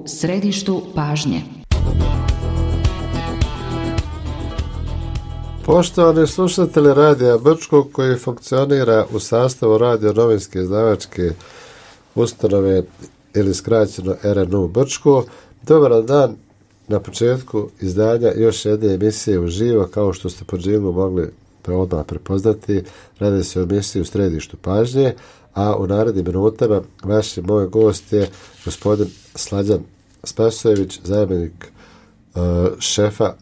središtu pažnje. Poštovani slušatelji Radija Brčko koji funkcionira u sastavu radio-novinske izdavačke ustanove ili skraćeno RNU Brčko, dobar dan na početku izdanja još jedne emisije uživo, kao što ste po džilu mogli odmah prepoznati. Radi se o emisiji u središtu pažnje, a u narednim minutama vaš moj gost je gospodin Slađan Spasojević, zamjenik šefa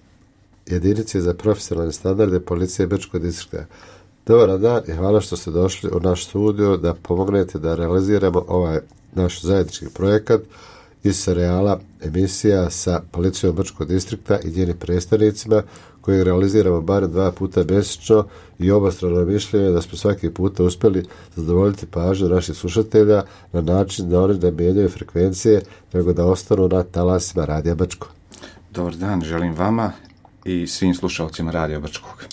jedinice za profesionalne standarde policije Brčkog distrikta. Dobar dan i hvala što ste došli u naš studio da pomognete da realiziramo ovaj naš zajednički projekat iz serijala emisija sa policijom Brčkog distrikta i njenim predstavnicima, koji realiziramo barem 2 puta mjesečno, i obostrano mišljenje da smo svaki puta uspjeli zadovoljiti pažnju naših slušatelja na način da oni ne mijenjaju frekvencije, nego da ostanu na talasima Radija Brčko. Dobar dan, želim vama i svim slušalcima Radija Brčkog.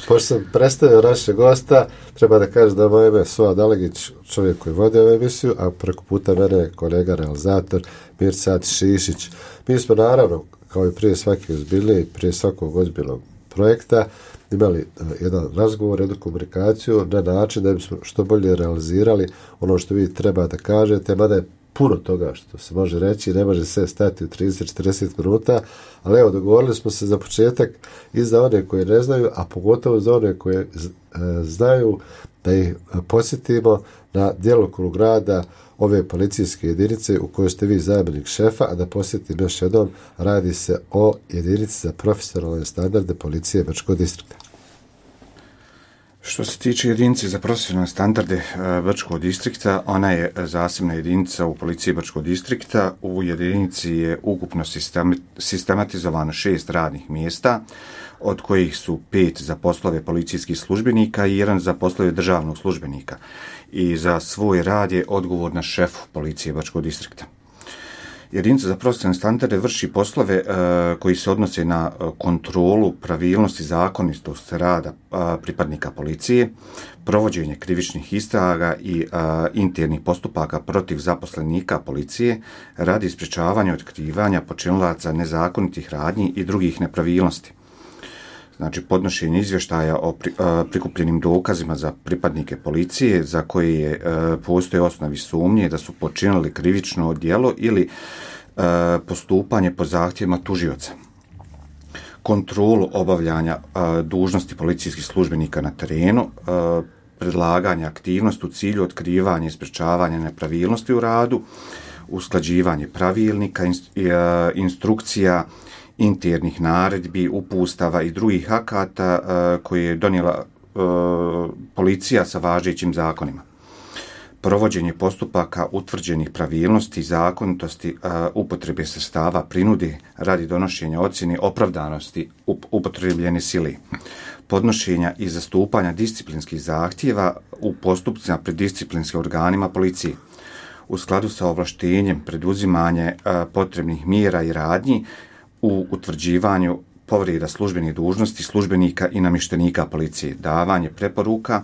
Pošto sam predstavio našeg gosta, treba da kažem da moje ime je Soa Dalegić, čovjek koji vodi ovu emisiju, a preko puta mene je kolega realizator Mirsad Šišić. Mi smo naravno, kao i prije svake ozbiljnije, prije svakog ozbiljnog projekta, imali jedan razgovor, jednu komunikaciju na način da bismo što bolje realizirali ono što vi treba da kažete, mada je puno toga što se može reći, ne može sve stati u 30-40 minuta, ali evo, dogovorili smo se za početak i za one koje ne znaju, a pogotovo za one koje znaju, da ih podsjetimo na djelokrug rada ove policijske jedinice u kojoj ste vi zamjenik šefa, a da posjetim još jednom, radi se o jedinici za profesionalne standarde policije Brčkog distrikta. Što se tiče jedinice za profesionalne standarde Brčkog distrikta, ona je zasebna jedinica u policiji Brčkog distrikta. U jedinici je ukupno sistematizovano 6 radnih mjesta, od kojih su 5 za poslove policijskih službenika i 1 za poslove državnog službenika. I za svoj rad je odgovorna šefu policije Brčkog distrikta. Jedinica za profesionalne standarde vrši poslove koji se odnose na kontrolu pravilnosti i zakonitosti rada pripadnika policije, provođenje krivičnih istraga i internih postupaka protiv zaposlenika policije radi sprječavanja i otkrivanja počinilaca nezakonitih radnji i drugih nepravilnosti. Znači, podnošenje izvještaja o prikupljenim dokazima za pripadnike policije za koje postoje osnovi sumnje da su počinili krivično djelo ili postupanje po zahtjevima tužioca. Kontrolu obavljanja dužnosti policijskih službenika na terenu, predlaganje aktivnosti u cilju otkrivanja i sprječavanja nepravilnosti u radu, usklađivanje pravilnika, instrukcija, internih naredbi, upustava i drugih akata koje je donijela policija sa važećim zakonima. Provođenje postupaka utvrđenih pravilnosti i zakonitosti upotrebe sredstava prinude radi donošenja ocjene opravdanosti upotrebljene sile. Podnošenja i zastupanja disciplinskih zahtjeva u postupcima pred disciplinskim organima policije. U skladu sa ovlaštenjem preduzimanje potrebnih mjera i radnji u utvrđivanju povreda službenih dužnosti službenika i namještenika policije, davanje preporuka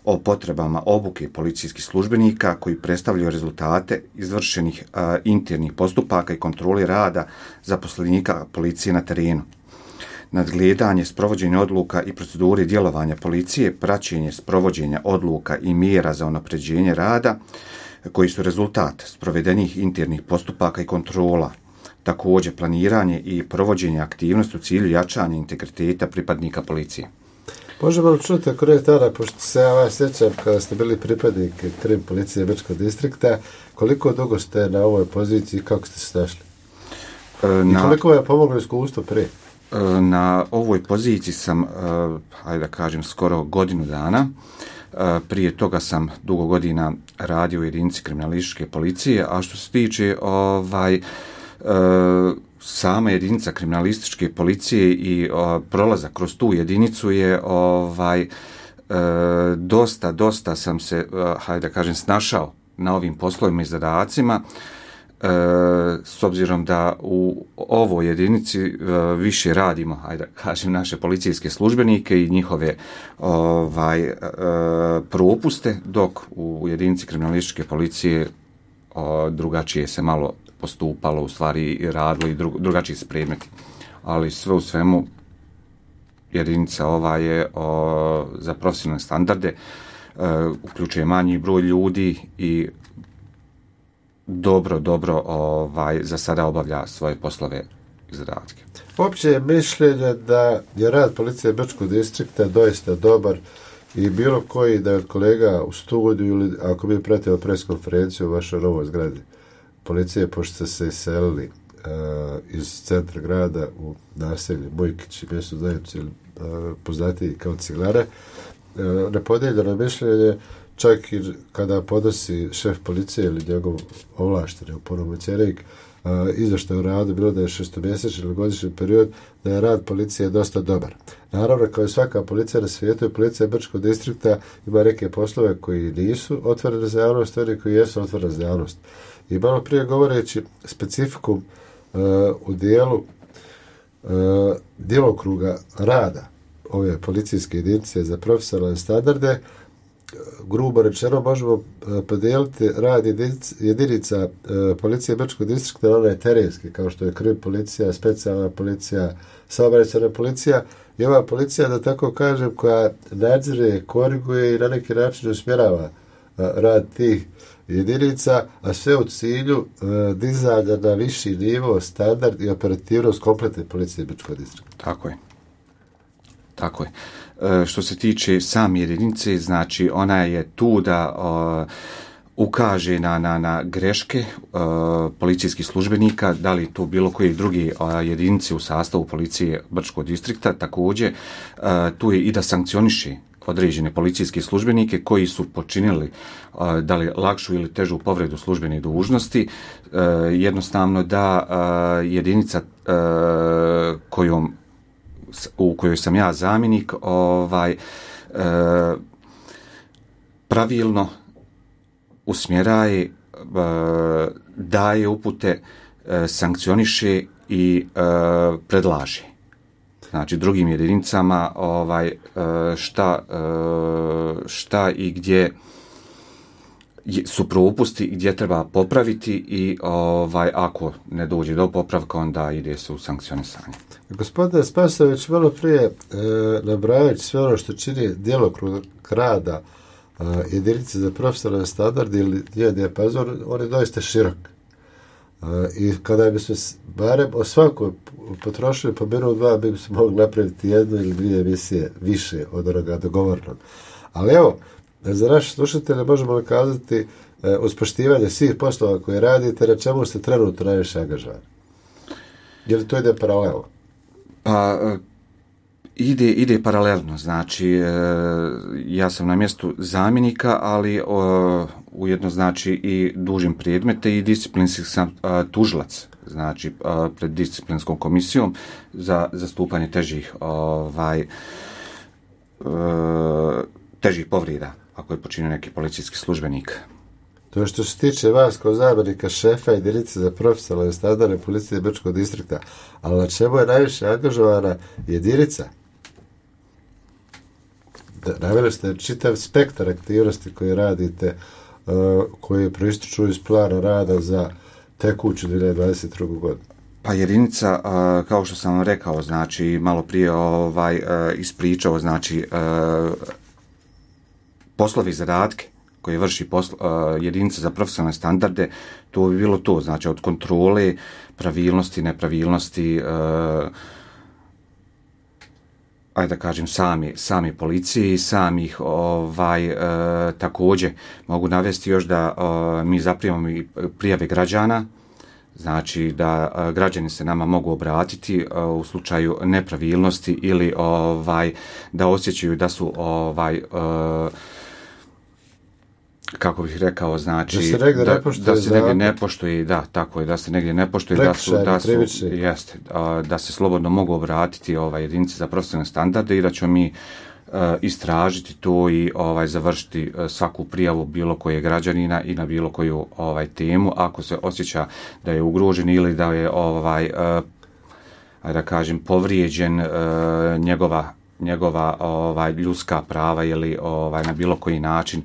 o potrebama obuke policijskih službenika koji predstavljaju rezultate izvršenih internih postupaka i kontrole rada zaposlenika policije na terenu. Nadgledanje sprovođenja odluka i procedure djelovanja policije, praćenje sprovođenja odluka i mjera za unapređenje rada koji su rezultat sprovedenih internih postupaka i kontrola. Također planiranje i provođenje aktivnosti u cilju jačanja integriteta pripadnika policije. Možemo li čuti korektara, pošto se ja vas sjećam kada ste bili pripadnik krim policije Brčkog distrikta, koliko dugo ste na ovoj poziciji i kako ste se našli? I koliko vam je pomoglo iskustvo prije? Na ovoj poziciji sam, hajde da kažem, skoro godinu dana. Prije toga sam dugo godina radio u jedinici kriminalističke policije, a što se tiče sama jedinica kriminalističke policije i prolazak kroz tu jedinicu je dosta sam se, hajde da kažem, snašao na ovim poslovima i zadacima, s obzirom da u ovoj jedinici više radimo, hajde da kažem, naše policijske službenike i njihove propuste, dok u jedinici kriminalističke policije drugačije se malo postupalo, u stvari i radilo i drugačiji su predmeti. Ali sve u svemu jedinica ova je za profesionalne standarde, uključuje manji broj ljudi i dobro za sada obavlja svoje poslove iz radke. Opće je mišljenje da je rad policije Brčkog distrikta doista dobar i bilo koji da je od kolega u studiju ili ako mi pratimo preskonferenciju u vašoj novoj zgradi policije, pošto ste se iselili iz centra grada u naselje Bojkić i mjesto zajednicu ili poznatiji kao Ciglare, nepodijeljeno mišljenje čak i kada podnosi šef policije ili njegov ovlašteni opunomoćenik izvještaj o radu, bilo da je šestomjesečni ili godišnji period, da je rad policije dosta dobar. Naravno, kao i svaka policija na svijetu, i policija Brčkog distrikta ima neke poslove koji nisu otvorene za javnost, oni koji jesu otvorene za javnost. I malo prije govoreći specifikum u dijelu djelokruga rada ove policijske jedinice za profesionalne standarde, grubo rečeno možemo podijeliti rad jedinica policije Brčkog distrikta na onaj terenski, kao što je krim policija, specijalna policija, saobraćajna policija i ova policija, da tako kažem, koja nadzire, koriguje i na neki način usmjerava rad tih jedinica, a sve u cilju dizanja na viši nivo, standard i operativnost kompletne policije Brčkog distrikta. Tako je. Što se tiče same jedinice, znači ona je tu da ukaže na greške policijskih službenika, da li to bilo koje druge jedinice u sastavu policije Brčkog distrikta, također tu je i da sankcioniše određene policijske službenike koji su počinili da li lakšu ili težu povredu službene dužnosti, jednostavno da jedinica u kojoj sam ja zamjenik pravilno usmjeraje, daje upute, sankcioniše i predlaže. Znači drugim jedinicama šta i gdje su propusti, gdje treba popraviti i ako ne dođe do popravka, onda ide se u sankcionisanje. Gospodine Spasović, malo prije nabrajajući sve ono što čini djelokrug rada jedinice za profesionalne standarde ili njen dijapazon, on je doista širok. I kada bi se barem o svakoj potrošili po minut dva, bi se mogli napraviti jednu ili dvije emisije više od onoga dogovornog. Ali evo, za naše slušatelje možemo kazati uz poštivanje svih poslova koje radite, na čemu ste trenutno najviše angažovani? Je li to ide paralelno? Pa ide paralelno, znači ja sam na mjestu zamjenika, ali ujedno znači i dužim predmete i disciplinski sam tužilac, znači pred disciplinskom komisijom za zastupanje težih povreda ako je počinio neki policijski službenik. To je što se tiče vas kao zamjenika šefa jedinice za profesionalne standarde policije Brčkog distrikta, ali na čemu je najviše angažovana jedinica? Naveli ste čitav spektar aktivnosti koje radite, koje proističu iz plana rada za tekuću 2022. godinu. Pa jedinica, kao što sam vam rekao, znači malo prije ispričao, znači poslovi zadatke koje vrši jedinica za profesionalne standarde, to bi bilo to, znači od kontrole, pravilnosti, nepravilnosti, ajde da kažem sami policije i samih također mogu navesti još da mi zaprimamo i prijave građana, znači da građani se nama mogu obratiti u slučaju nepravilnosti ili da osjećaju da su kako bih rekao, znači da se negdje ne poštuje, da, tako je, da se negdje ne poštuje, da se slobodno mogu obratiti jedinice za profesionalne standarde i da ćemo mi istražiti to i završiti svaku prijavu bilo koje građanina i na bilo koju temu ako se osjeća da je ugrožen ili da je da kažem povrijeđen njegova ljudska prava ili na bilo koji način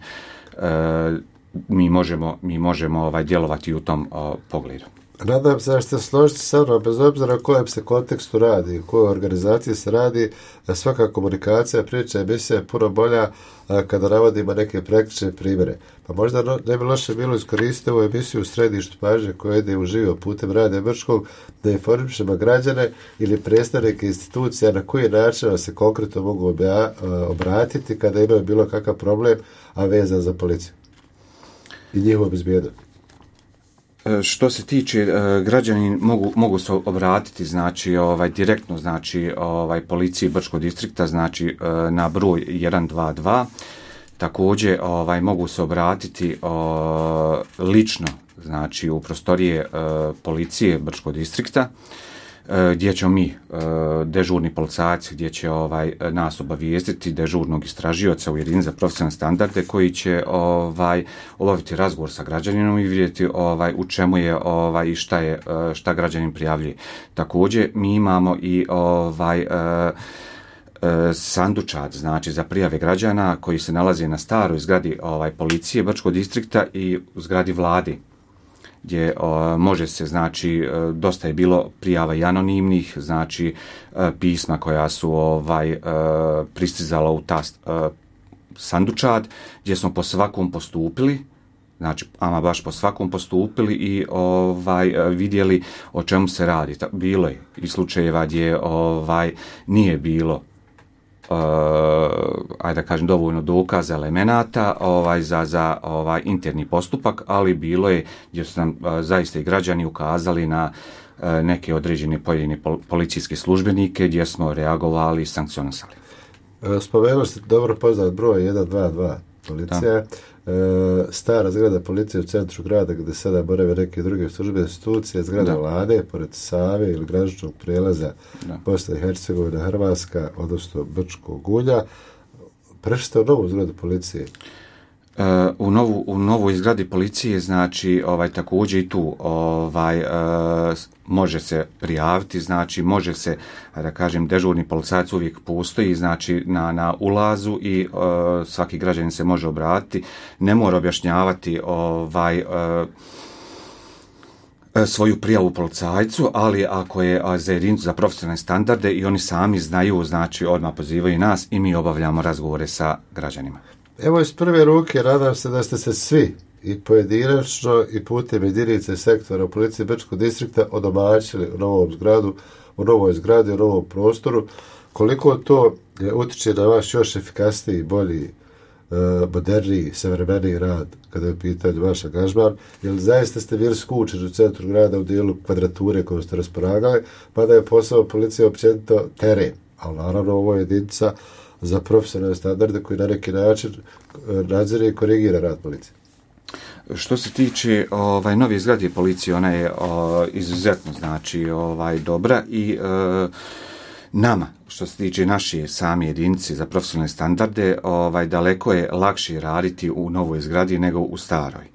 mi možemo djelovati u tom pogledu. Nadam se da ćete složiti sa mnom, bez obzira o kojem se kontekstu radi, u kojoj organizaciji se radi, svaka komunikacija, priča, emisija je puno bolja kada navodimo neke praktične primjere. Pa možda ne bi loše bilo iskoristiti ovu emisiju u središtu pažnje koja ide uživo putem Radija Brčkog da informišemo građane ili predstavnike institucija na koji način se konkretno mogu obratiti kada imaju bilo kakav problem, a vezan za policiju i njihovu bezbjednost. Što se tiče građani mogu se obratiti znači direktno znači policiji Brčkog distrikta znači na broj 122. Također mogu se obratiti lično znači u prostorije policije Brčkog distrikta gdje ćemo mi dežurni policajci gdje će nas obavijestiti dežurnog istražioca u jedinici za profesionalne standarde koji će obaviti razgovor sa građaninom i vidjeti u čemu je i šta građanin prijavljuje. Također mi imamo i sandučat znači za prijave građana koji se nalazi na staroj zgradi policije Brčkog distrikta i u zgradi vlade, gdje može se, znači, dosta je bilo prijava i anonimnih, znači, pisma koja su pristizala u ta sandučat, gdje smo po svakom postupili, znači, ama baš po svakom postupili i vidjeli o čemu se radi. Bilo je i slučajeva gdje nije bilo ajde da kažem dovoljno dokaza, elemenata za interni postupak, ali bilo je gdje su nam zaista i građani ukazali na neke određene pojedine policijske službenike gdje smo reagovali i sankcionisali. Spomenuli ste dobro poznat broj 122 policija. Stara zgrada policije u centru grada gdje sada borave neke druge službe institucije, zgrada vlade pored Save ili graničnog prijelaza Bosna i Hercegovina, Hrvatska, odnosno Brčkog Ulja. Prešli ste u novu zgradu policije? U novoj zgradi policije, znači također i tu može se prijaviti, znači može se, da kažem, dežurni policajac uvijek postoji, znači na ulazu i svaki građanin se može obratiti, ne mora objašnjavati svoju prijavu policajcu, ali ako je za jedinicu za profesionalne standarde i oni sami znaju, znači odmah pozivaju nas i mi obavljamo razgovore sa građanima. Evo iz prve ruke, nadam se da ste se svi i pojedinačno i putem jedinice sektora u policiji Brčkog distrikta odomaćili u novoj zgradi, u novom prostoru. Koliko to utiče na vaš još efikasniji, bolji, moderniji, savremeniji rad kada je u pitanju vaš angažman, jer zaista ste bili skučeni u centru grada u dijelu kvadrature koju ste raspolagali, pa da je posao policije općenito teren, ali naravno ovo je jedinica za profesionalne standarde koji na neki način nadzire i korigira rad policije. Što se tiče nove zgrade policije, ona je izuzetno znači dobra i nama, što se tiče naše same jedinice za profesionalne standarde, daleko je lakše raditi u novoj zgradi nego u staroj.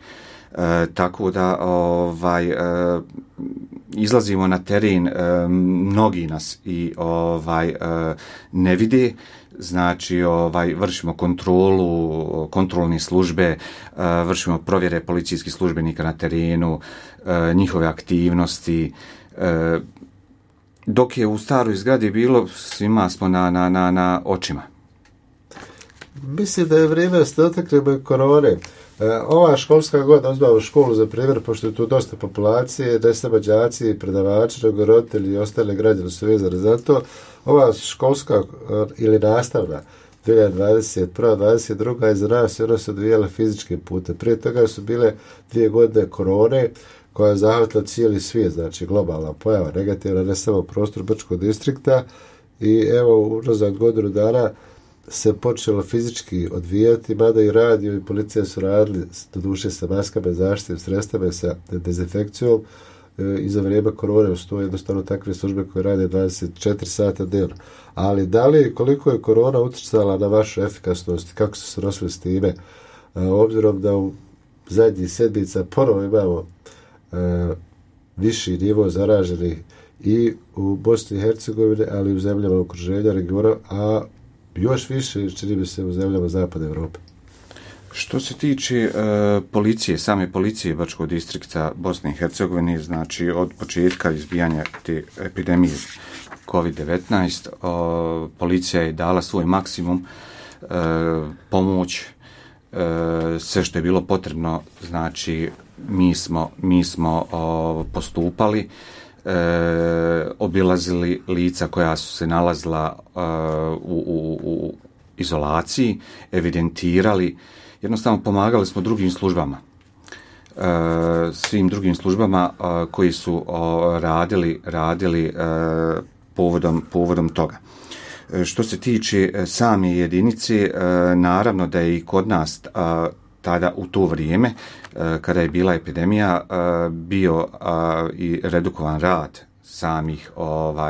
Tako da izlazimo na teren, mnogi nas i ne vide, znači vršimo kontrolu, kontrolne službe, vršimo provjere policijskih službenika na terenu, njihove aktivnosti, dok je u staroj zgradi bilo, svima smo na očima. Mislim da je vrijeme da ste dotaknemo i korone. Ova školska godina, uzmamo školu za primjer, pošto je tu dosta populacije, ne samo đaci, predavači, nego roditelji i ostale građani su vezani za to. Ova školska ili nastavna 2021-2022 je za nas i ona se odvijala fizičkim putem. Prije toga su bile 2 godine korone koja je zahvatila cijeli svijet, znači globalna pojava, negativna, ne samo prostor Brčkog distrikta, i evo unazad godinu dana se počelo fizički odvijati, mada i radio i policija su radili doduše sa maskama, zaštitnim sredstvima, sa dezinfekcijom i za vrijeme korone stoje jednostavno takve službe koje rade 24 sata dnevno. Ali da li koliko je korona utjecala na vašu efikasnost, kako ste se nosili s time, obzirom da u zadnjih sedmica ponovo imamo viši nivo zaraženih i u Bosni i Hercegovini, ali i u zemljama okruženja regiona, a još više čini mi se u zemljama Zapadne Evrope. Što se tiče policije, same policije Bačkog distrikta Bosne i Hercegovine, znači od početka izbijanja te epidemije COVID-19, policija je dala svoj maksimum, pomoć, sve što je bilo potrebno, znači mi smo postupali, obilazili lica koja su se nalazila u izolaciji, evidentirali, jednostavno pomagali smo drugim službama, svim drugim službama koji su radili povodom toga. Što se tiče same jedinice, naravno da je i kod nas tada u to vrijeme, kada je bila epidemija, bio i redukovan rad samih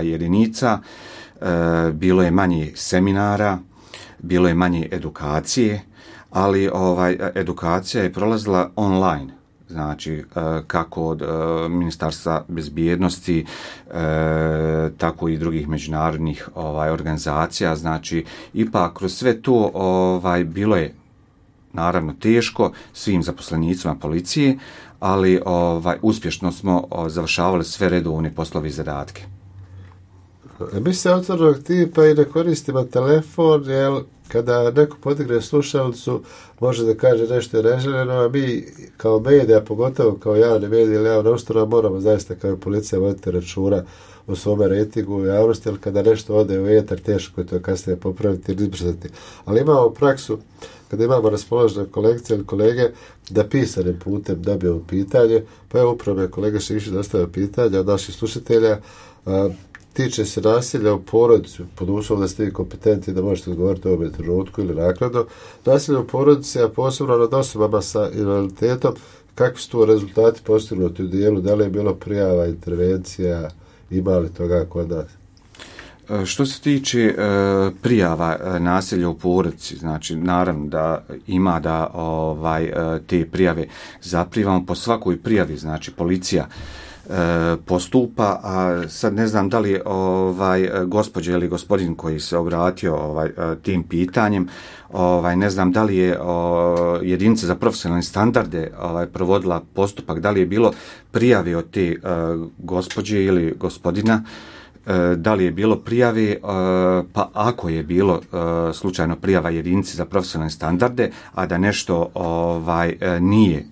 jedinica, bilo je manje seminara, bilo je manje edukacije, ali edukacija je prolazila online, znači kako od Ministarstva bezbjednosti, tako i drugih međunarodnih organizacija, znači ipak kroz sve to bilo je naravno teško svim zaposlenicima policije, ali uspješno smo završavali sve redovne poslove i zadatke. Mi se otvornog tipa i ne koristimo telefon, jer kada neko podigne slušalicu, može da kaže nešto je neželjeno, a mi kao medija, pogotovo kao javne medije ili javna ustanova, moramo zaista kao policija voditi računa o svome rejtingu u javnosti, jer kada nešto ode u etar, teško je to kasnije popraviti ili izbrzati. Ali imamo praksu, kada imamo raspoložene kolegice ili kolege, da pisanim putem dobijemo pitanje, pa je upravo kolega Šišić dostavio pitanje od naših slušatelja, tiče se nasilja u porodici, pod uslovom da ste vi kompetentni da možete odgovoriti u ovom trenutku ili naknadno. Nasilje u porodici, a posebno nad osobama sa invaliditetom, kakvi su tu rezultati postignuti u dijelu, da li je bilo prijava, intervencija, ima li toga kod nas? Što se tiče prijava nasilja u porodici, znači naravno da ima da te prijave zaprivamo po svakoj prijavi, znači policija postupa, a sad ne znam da li je gospođa ili gospodin koji se obratio tim pitanjem, ne znam da li je jedinica za profesionalne standarde provodila postupak, da li je bilo prijave od te gospođe ili gospodina, da li je bilo prijave, pa ako je bilo slučajno prijava jedinici za profesionalne standarde, a da nešto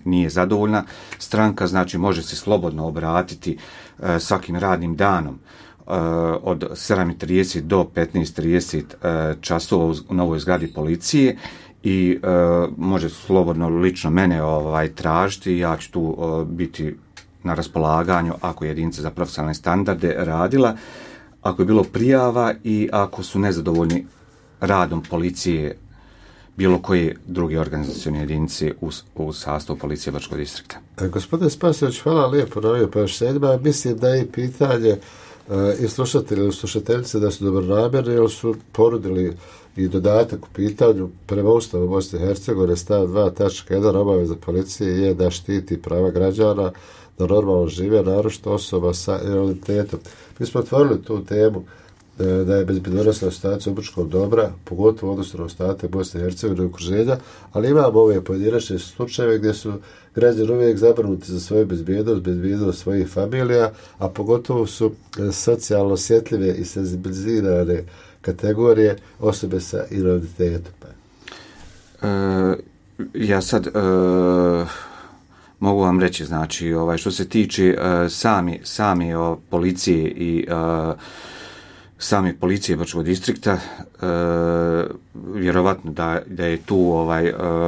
nije zadovoljna stranka, znači može se slobodno obratiti svakim radnim danom od 7:30 do 15:30 časova u novoj zgradi policije i može slobodno lično mene tražiti, ja ću tu biti na raspolaganju ako je jedinica za profesionalne standarde radila, ako je bilo prijava i ako su nezadovoljni radom policije bilo koje druge organizacione jedinice u sastavu policije Bačkog distrikta. Gospodine Spasović, hvala lijepo na ovim pojašnjenjima. Mislim da je pitanje i slušatelji ili slušateljice da su dobronamjerni, jer su ponudili i dodatak u pitanju prema Ustavu Bosne i Hercegovine stav 2.1 obaveza policije je da štiti prava građana, da normalno žive, naročito osoba sa invaliditetom. Mi smo otvorili tu temu da je bezbjednosna situacija u Brčkom dobra, pogotovo odnosno na ostatak Bosne i Hercegovine i okruženja, ali imamo ove pojedinačne slučajeve gdje su građani uvijek zabrinuti za svoju bezbjednost svojih familija, a pogotovo su socijalno osjetljive i senzibilizirane kategorije osobe sa invaliditetom. Ja sad mogu vam reći, znači, što se tiče sami policije i same policije Bačkog distrikta, vjerovatno da je tu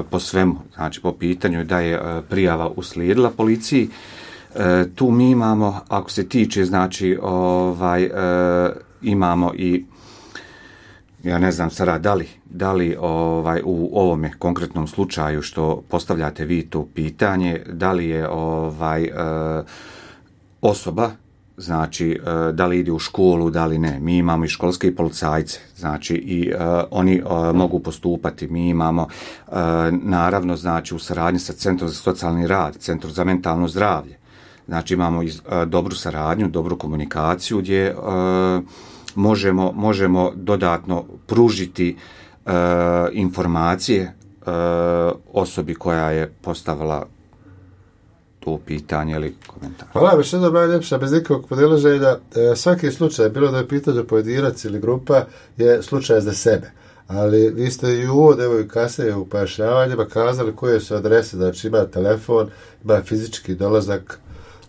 po svemu, znači po pitanju da je prijava uslijedila policiji. Tu mi imamo, ako se tiče, znači, imamo i ja ne znam sada da li u ovome konkretnom slučaju što postavljate vi to pitanje, da li je osoba, znači da li ide u školu, da li ne. Mi imamo i školske policajce, znači i oni mogu postupati. Mi imamo naravno, znači, u saradnji sa Centrom za socijalni rad, Centrom za mentalno zdravlje. Znači imamo dobru saradnju, dobru komunikaciju gdje možemo dodatno pružiti informacije osobi koja je postavila to pitanje ili komentar. Hvala, još jednom najljepša, bez nikakvog podilaženja. Svaki slučaj, bilo da je pitanje pojedinac ili grupa, je slučaj za sebe. Ali vi ste i u uvodu, evo i kasnije u pojašnjavanjima kazali koje su adrese, znači ima telefon, ima fizički dolazak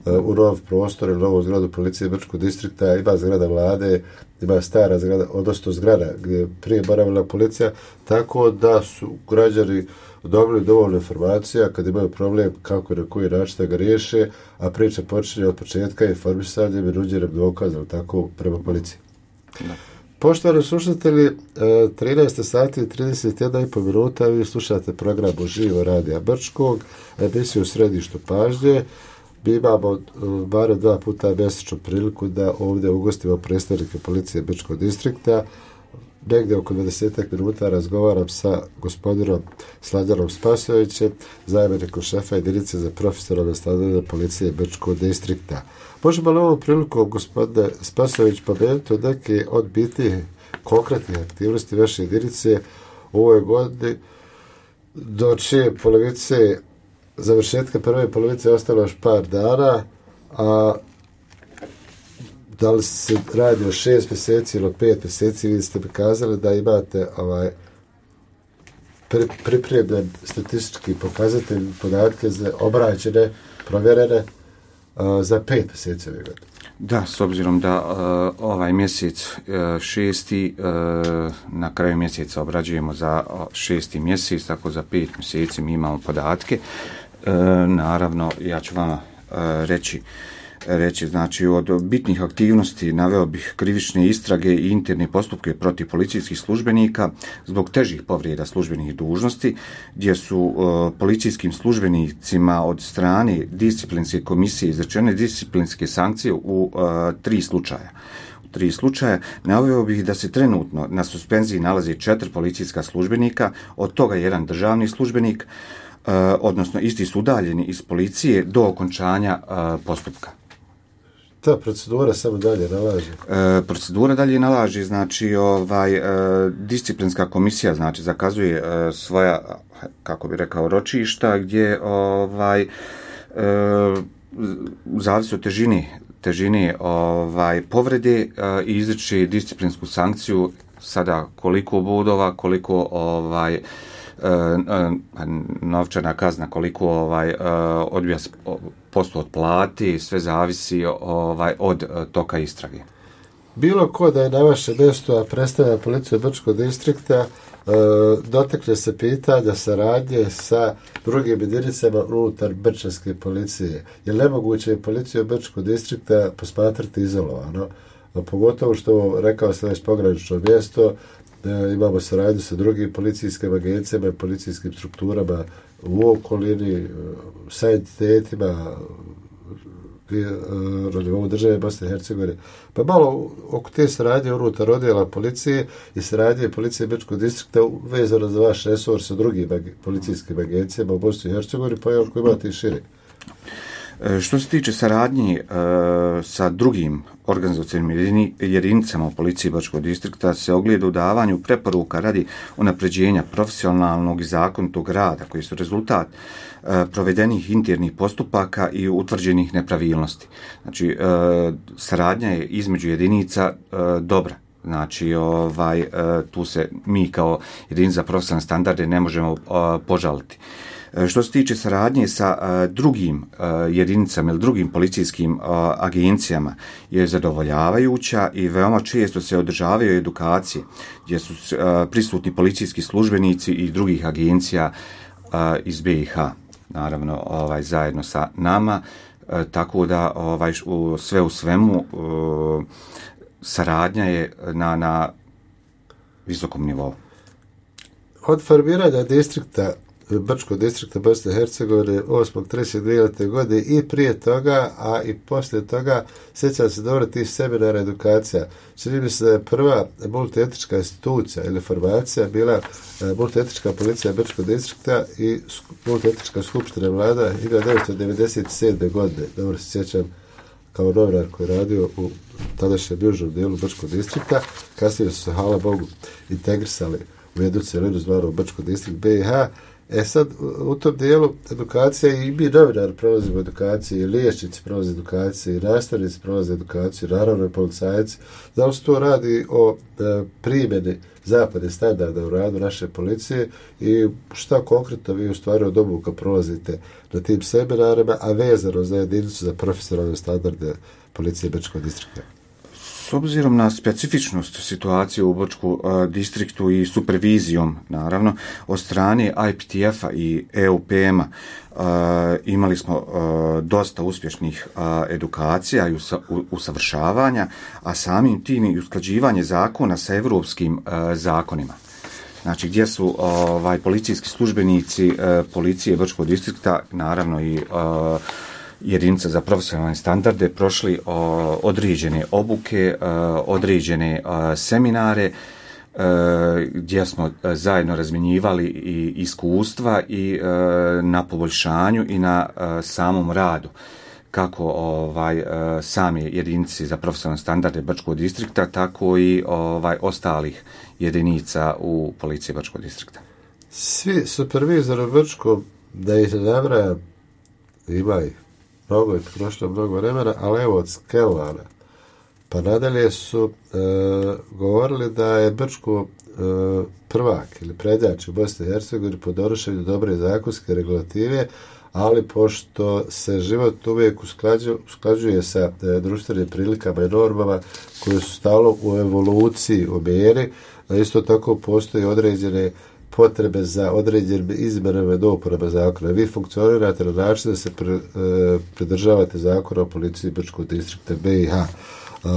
u nov prostor ili novu zgradu policije Brčkog distrikta, ima zgrada vlade, ima stara zgrada, odnosno zgrada gdje je prije boravila policija, tako da su građani dobili dovoljno informacija kad imaju problem kako i na koji način da ga riješe, a priča počinje od početka informisanjem i nuđenjem dokaza, tako prema policiji. Da. Poštovani slušatelji, 13 sati i 31,5 minuta, vi slušate program Uživo Radija Brčkog, emisiju u središtu pažnje. Mi imamo barem 2 puta mjesečno priliku da ovdje ugostimo predstavnike policije Brčkog distrikta. Negdje oko 20 minuta razgovaram sa gospodinom Slađanom Spasovićem, zamjenikom šefa jedinice za profesionalne standarde policije Brčkog distrikta. Možemo li ovom priliku, gospodine Spasović, pomenuti neke od bitnih konkretnih aktivnosti vaše jedinice u ovoj godini, do čije polovice, završetka prve polovice ostalo još par dana, a da li se radi o 6 mjeseci ili 5 mjeseci, vi ste mi kazali da imate pripremljen statistički pokazatelj podatke za obrađene, provjerene za 5 mjeseci ove godine. Da, s obzirom da ovaj mjesec 6. Na kraju mjeseca obrađujemo za 6. mjesec, tako za 5 mjeseci mi imamo podatke. Naravno, ja ću vama reći, znači od bitnih aktivnosti naveo bih krivične istrage i interne postupke protiv policijskih službenika zbog težih povreda službenih dužnosti, gdje su policijskim službenicima od strane disciplinske komisije izrečene disciplinske sankcije u 3 slučaja. Naveo bih da se trenutno na suspenziji nalazi 4 policijska službenika, od toga 1 državni službenik, odnosno isti su udaljeni iz policije do okončanja postupka. Ta procedura samo dalje nalaže? Procedura dalje nalaže, znači disciplinska komisija znači zakazuje svoja, kako bi rekao, ročišta gdje zavisi od težine povrede i izriče disciplinsku sankciju, sada koliko bodova, koliko novčana kazna, koliko odbija posto od plati, sve zavisi od toka istrage. Bilo ko da je na vaše mjesto, a predstavlja policiju Brčkog distrikta, dotakne se pitanja saradnje sa drugim jedinicama unutar brčanske policije. Je nemoguće policiju Brčkog distrikta posmatrati izolovano? Pogotovo što, rekao sam već, pogranično mjesto, imamo saradnju sa drugim policijskim agencijama i policijskim strukturama u okolini, sa entitetima na nivou države Bosne i Hercegovine. Pa malo oko te saradnje unutar odjela policije i saradnje policije Brčkog distrikta vezano za vaš resor sa drugim policijskim agencijama u Bosni i Hercegovini, pa ako imate i šire. Što se tiče saradnje sa drugim organizacijnim jedinicama u policiji Brčkog distrikta se ogleda u davanju preporuka radi unapređenja profesionalnog i zakonitog rada koji su rezultat provedenih internih postupaka i utvrđenih nepravilnosti. Znači, saradnja je između jedinica dobra. Znači, tu se mi kao jedinica za profesionalne standarde ne možemo požaliti. Što se tiče saradnje sa drugim jedinicama ili drugim policijskim agencijama je zadovoljavajuća i veoma često se održavaju edukacije gdje su prisutni policijski službenici i drugih agencija iz BiH, naravno zajedno sa nama, tako da sve u svemu saradnja je na visokom nivou. Od formiranja distrikta Brčkog distrikta Bosne i Hercegovine 8.3.2000. godine i prije toga, a i poslije toga, sjećam se dobro tih seminara edukacija. Čini mi se da je prva multietička institucija ili formacija bila multietička policija Brčkog distrikta i multietička skupština vlada 1997. godine. Dobro se sjećam kao novinar koji je radio u tadašnjem južnom dijelu Brčkog distrikta. Kasnije su se, hvala Bogu, integrisali u jednu cjelinu zvanu Brčkog distrikt BiH. Sad, u tom dijelu edukacija i mi novinari prolazimo edukaciju, i liječnici prolaze edukaciju, i nastavnici prolaze edukaciju, naravno i policajci. Da li se to radi o primjeni zapadnih standarda u radu naše policije i šta konkretno vi u stvari od obuka prolazite na tim seminarima, a vezano za jedinicu za profesionalne standarde policije Brčkog distrikta? S obzirom na specifičnost situacije u Brčkom distriktu i supervizijom, naravno, od strane IPTF-a i EUPM-a imali smo dosta uspješnih edukacija i usavršavanja, a samim tim i usklađivanje zakona sa evropskim zakonima. Znači, gdje su policijski službenici policije Brčkog distrikta, naravno i jedinica za profesionalne standarde, prošli određene obuke, određene seminare, gdje smo zajedno razmjenjivali i iskustva i na poboljšanju i na samom radu kako sami jedinici za profesionalne standarde Brčkog distrikta, tako i ostalih jedinica u policiji Brčkog distrikta. Svi supervizori u Brčkom, da ih ne nabrajam, ima ih mnogo, prošlo mnogo vremena, ali evo od Skelana pa nadalje su govorili da je Brčko prvak ili prednjač u Bosni i Hercegovini po donošenju dobre zakonske regulative, ali pošto se život uvijek usklađuje sa društvenim prilikama i normama koje su stalno u evoluciji, u mjeri, isto tako postoji određene potrebe za određenim izmenama i dopunama zakona. Vi funkcionirate na način da se pridržavate zakona o policiji Brčkog distrikta BiH.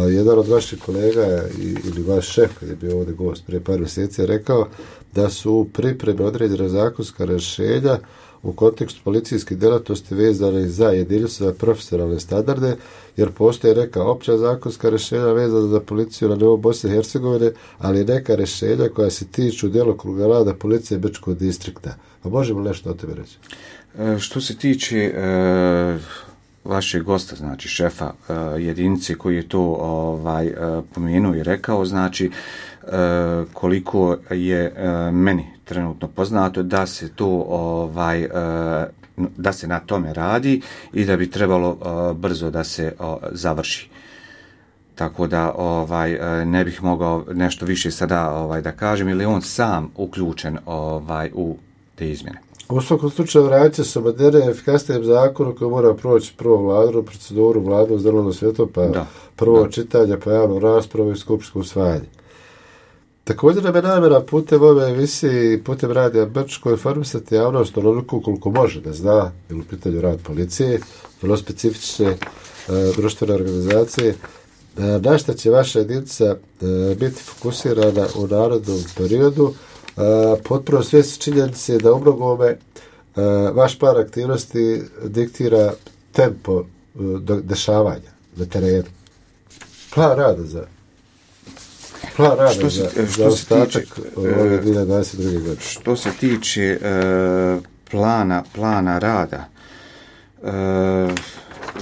Jedan od vaših kolega ili vaš šef, kad je bio ovdje gost prije par mjeseci, je rekao da su u pripremi određena zakonska rješenja u kontekstu policijske djelatnosti vezane za jedinicu za profesionalne standarde, jer postoje neka opća zakonska rješenja vezana za policiju na nivou Bosne i Hercegovine, ali neka rješenja koja se tiču djelokruga rada policije Brčkog distrikta. A možemo nešto o tome reći? Što se tiče vašeg gosta, znači šefa jedinice koji je to pomenuo i rekao, znači koliko je meni trenutno poznato da se to da se na tome radi i da bi trebalo brzo da se završi. Tako da ne bih mogao nešto više sada da kažem, ili on sam uključen u te izmjene. U svakom slučaju radit će se moderne efikasnijem zakonu koji mora proći prvo vladnu proceduru, vladnu zeleno svjetlo, pa prvo čitanje, pa javnu raspravu i skupštinsko usvajanje. Također nam je namjera putem ove emisije i putem radija Brčko informisati javnost onoliko koliko može da zna, ili u pitanju rad policije, vrlo specifične društvene organizacije, na šta će vaša jedinica biti fokusirana u narodnom periodu, potpuno svjesni činjenice da u mnogome vaš plan aktivnosti diktira tempo dešavanja na terenu. Plan rada za ostatak ove 2022. godine. Što se tiče plana rada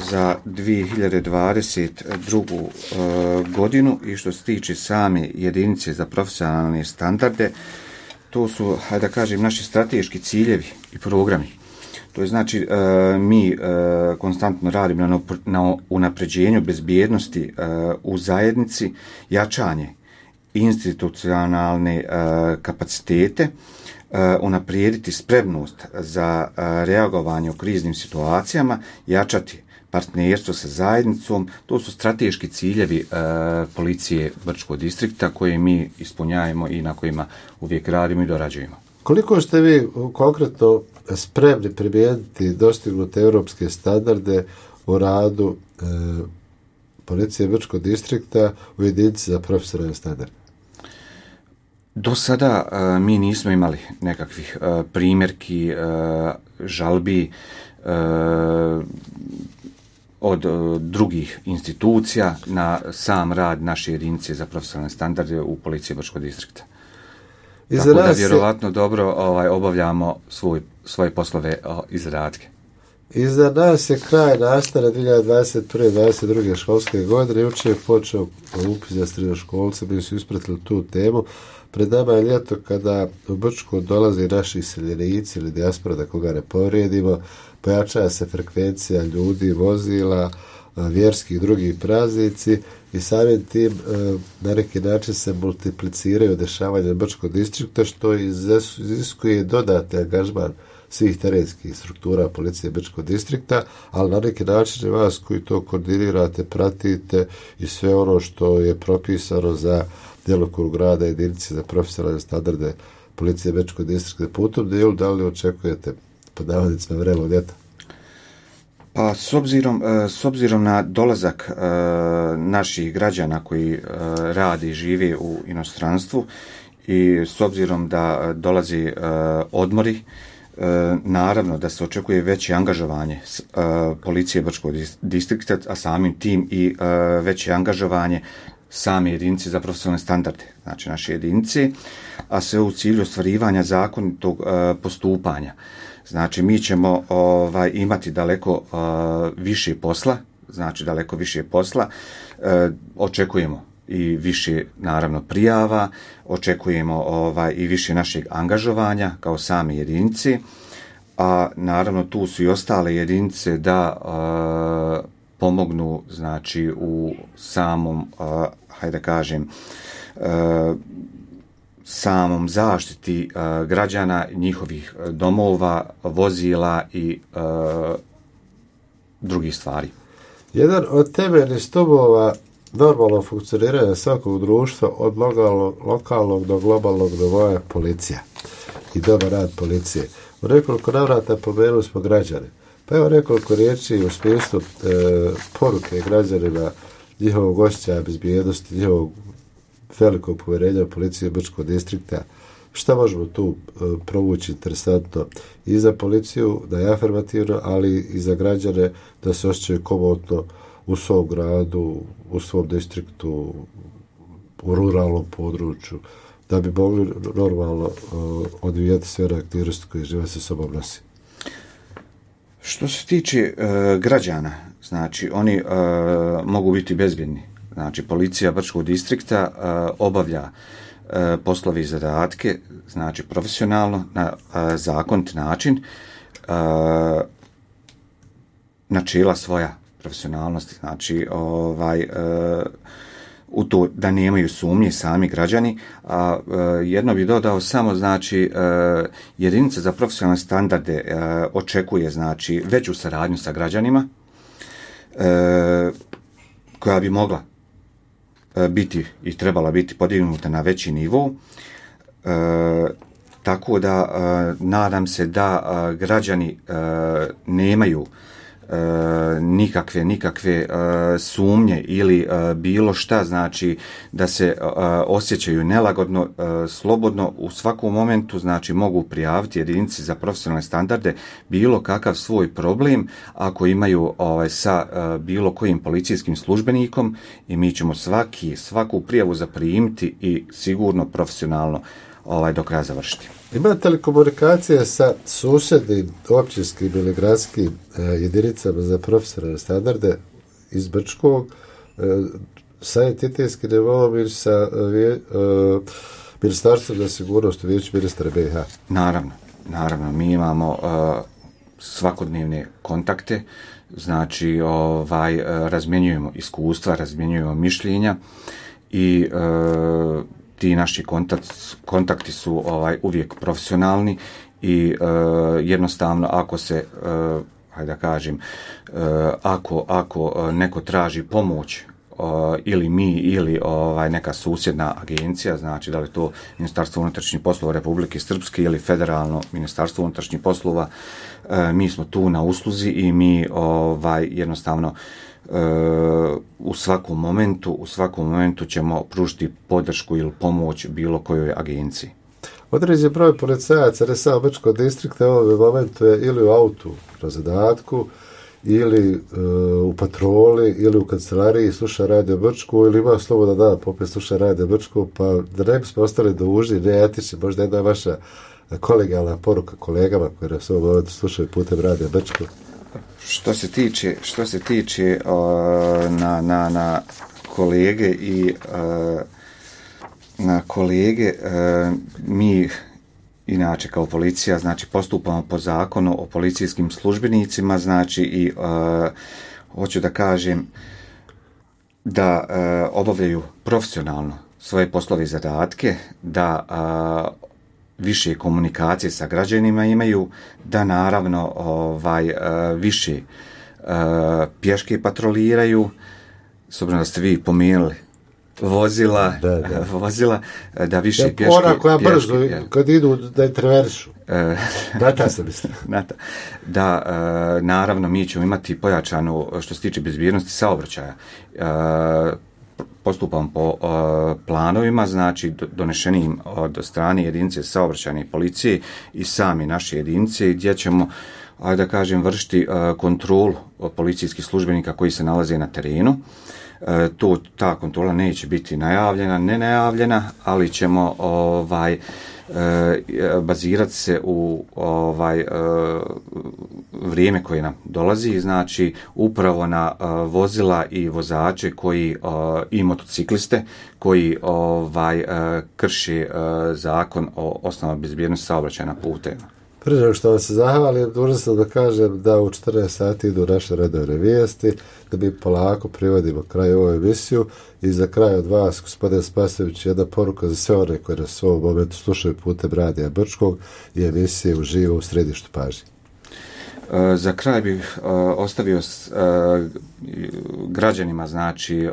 za 2022. godinu i što se tiče same jedinice za profesionalne standarde, to su, da kažem, naši strateški ciljevi i programi. To je znači mi konstantno radimo na unapređenju bezbjednosti u zajednici, jačanje institucionalne kapacitete, unaprijediti spremnost za reagovanje u kriznim situacijama, jačati partnerstvo sa zajednicom. To su strateški ciljevi policije Brčkog distrikta koje mi ispunjavamo i na kojima uvijek radimo i dorađujemo. Koliko ste vi konkretno spremni primijeniti dostignute europske standarde u radu policije Brčkog distrikta u jedinici za profesionalne standarde? Do sada mi nismo imali nekakvih primjerki, žalbi od drugih institucija na sam rad naše jedinice za profesionalne standarde u policiji Brčkog distrikta. Tako da vjerovatno dobro obavljamo svoje poslove izradke. Iza nas je kraj nastave 2021-2022 školske godine. Jučer je počeo upis za srednjoškolce, mi su ispratili tu temu. Pred nama je ljeto kada u Brčko dolaze naši iseljenici ili dijaspora, da koga ne povrijedimo, pojačava se frekvencija ljudi, vozila, vjerskih drugih praznici i samim tim na neki način se multipliciraju dešavanja Brčkog distrikta, što iziskuje dodatni angažman svih terenskih struktura policije Brčkog distrikta, ali na neki način vas koji to koordinirate, pratite i sve ono što je propisano za djelokrug rada jedinice za profesionalne standarde policije Brčkog distrikta. Po tom dijelu da li očekujete pod navodnicima vremena ljeta? Pa s obzirom na dolazak naših građana koji rade i žive u inostranstvu i s obzirom da dolazi odmori, naravno da se očekuje veće angažovanje policije Brčkog distrikta, a samim tim i veće angažovanje same jedinice za profesionalne standarde, znači naše jedinice, a sve u cilju ostvarivanja zakonitog postupanja. Znači mi ćemo imati daleko više posla, očekujemo i više naravno prijava, očekujemo i više našeg angažovanja kao same jedinice, a naravno tu su i ostale jedinice da pomognu znači u samom samom zaštiti građana, njihovih domova, vozila i drugih stvari. Jedan od temeljnih stubova normalnog funkcioniranja svakog društva od lokalnog do globalnog nivoa je policija i dobar rad policije. U nekoliko navrata pomenuli smo građane. Pa evo nekoliko riječi u smislu poruke građanima, njihovog osjećaja bezbjednosti, njihovog velikog povjerenja u policiju Brčkog distrikta. Šta možemo tu provući interesantno i za policiju, da je afirmativno, ali i za građane da se osjećaju komotno u svom gradu, u svom distriktu, u ruralnom području, da bi mogli normalno odvijati sve aktivnosti koje živa se sobom nosi. Što se tiče građana, znači oni mogu biti bezbjedni. Znači policija Brčkog distrikta obavlja poslove i zadatke, znači profesionalno, na zakonit način, načela svoja profesionalnosti, znači u to da nemaju sumnje sami građani, a jedno bih dodao samo, znači jedinica za profesionalne standarde očekuje znači veću saradnju sa građanima koja bi mogla biti i trebala biti podignuta na veći nivo, tako da nadam se da građani nemaju nikakve sumnje ili bilo šta, znači da se osjećaju nelagodno, slobodno u svakom momentu, znači mogu prijaviti jedinici za profesionalne standarde bilo kakav svoj problem ako imaju sa bilo kojim policijskim službenikom i mi ćemo svaku prijavu zaprimiti i sigurno profesionalno do kraja završiti. Imate li komunikacije sa susjednim općinskim ili gradskim jedinicama za profesionalne standarde iz Brčkog, sa entitetskim nivom ili sa Ministarstvom za sigurnost u vijeću ministra BiH? Naravno, mi imamo svakodnevne kontakte, znači razmjenjujemo iskustva, razmjenjujemo mišljenja i ti naši kontakti su uvijek profesionalni i jednostavno ako se ako neko traži pomoć ili mi ili neka susjedna agencija, znači da li to Ministarstvo unutrašnjih poslova Republike Srpske ili Federalno Ministarstvo unutrašnjih poslova, mi smo tu na usluzi i mi jednostavno u svakom momentu ćemo pružiti podršku ili pomoć bilo kojoj agenciji. Određen broj policajaca, ne samo Brčkog distrikta, u ovom momentu je ili u autu na zadatku, ili u patroli, ili u kancelariji sluša Radio Brčku, ili ima slobodan dan popet sluša Radio Brčku, pa da ne bismo ostali dužni, neetični, možda jedna vaša kolegijalna poruka kolegama koji nas u ovom momentu slušaju putem Radio Brčku. Što se tiče na kolege i mi inače kao policija znači postupamo po zakonu o policijskim službenicima, znači i hoću da kažem da obavljaju profesionalno svoje poslove i zadatke, da više komunikacije sa građanima imaju, da naravno više pješke patroliraju, s obzirom da ste vi pomenuli vozila, da više pješke... Ona koja brzo, kad idu da je traveršu. Data se misli. Da, naravno, mi ćemo imati pojačanu, što se tiče bezbjednosti saobraćaja, postupam po planovima, znači donešenim od strane jedinice saobraćajne policije i sami naše jedinice, gdje ćemo, da kažem, vršiti kontrolu policijskih službenika koji se nalaze na terenu. Ta kontrola neće biti nenajavljena, ali ćemo bazirati se u vrijeme koje nam dolazi, znači upravo na vozila i vozače koji i motocikliste koji krše zakon o osnovama bezbjednosti saobraćaja na putevima. Prije nego što vam se zahvalim, dužan sam da kažem da u 14 sati idu naše redovne vijesti, da mi polako privodimo kraj ovu emisiju i za kraj od vas, gospodin Spasojević, jedna poruka za sve one koji nas u ovom momentu slušaju putem Radija Brčkog i emisije uživo u središtu pažnje. Za kraj bih ostavio građanima, znači,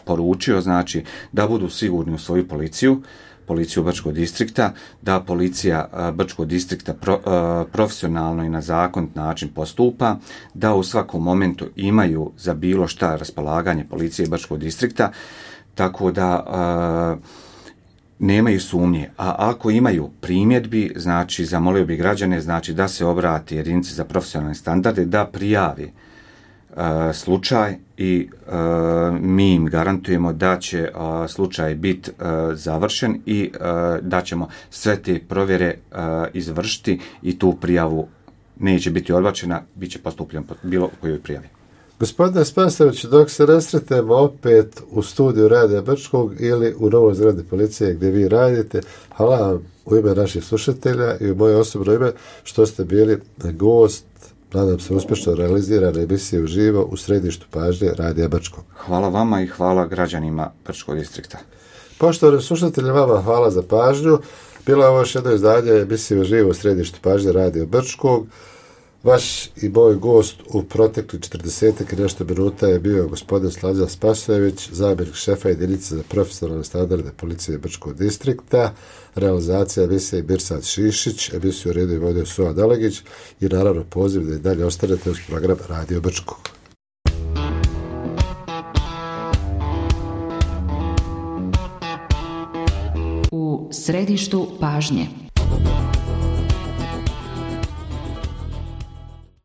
poručio, znači, da budu sigurni u svoju policiju Brčkog distrikta, da policija Brčkog distrikta profesionalno i na zakonit način postupa, da u svakom momentu imaju za bilo šta raspolaganje policije Brčkog distrikta, tako da nemaju sumnje. A ako imaju primjedbi, znači zamolio bi građane, znači da se obrati jedinici za profesionalne standarde, da prijavi slučaj i mi im garantujemo da će slučaj biti završen i da ćemo sve te provjere izvršiti i tu prijavu neće biti odbačena, bit će postupljeno po bilo kojoj prijavi. Gospodine Spasojević, dok se nesretemo opet u studiju Radija Brčkog ili u novoj zgradi policije gdje vi radite, hvala vam u ime naših slušatelja i u moje osobno ime što ste bili gost, nadam se uspješno realizirane emisije uživo u središtu pažnje Radija Brčkog. Hvala vama i hvala građanima Brčkog distrikta. Poštovani slušatelji, vama hvala za pažnju. Bilo je ovo još jedno izdanje emisije uživo u središtu pažnje Radija Brčkog. Vaš i moj gost u protekli 40 i nešto minuta je bio gospodin Slađan Spasojević, zamjenik šefa jedinice za profesionalne standarde policije Brčkog distrikta, realizacija emisije Mirsad Šišić, emisiju redu i vodio Suha Dalegić i naravno poziv da i dalje ostanete uz program Radio Brčkog. U središtu pažnje.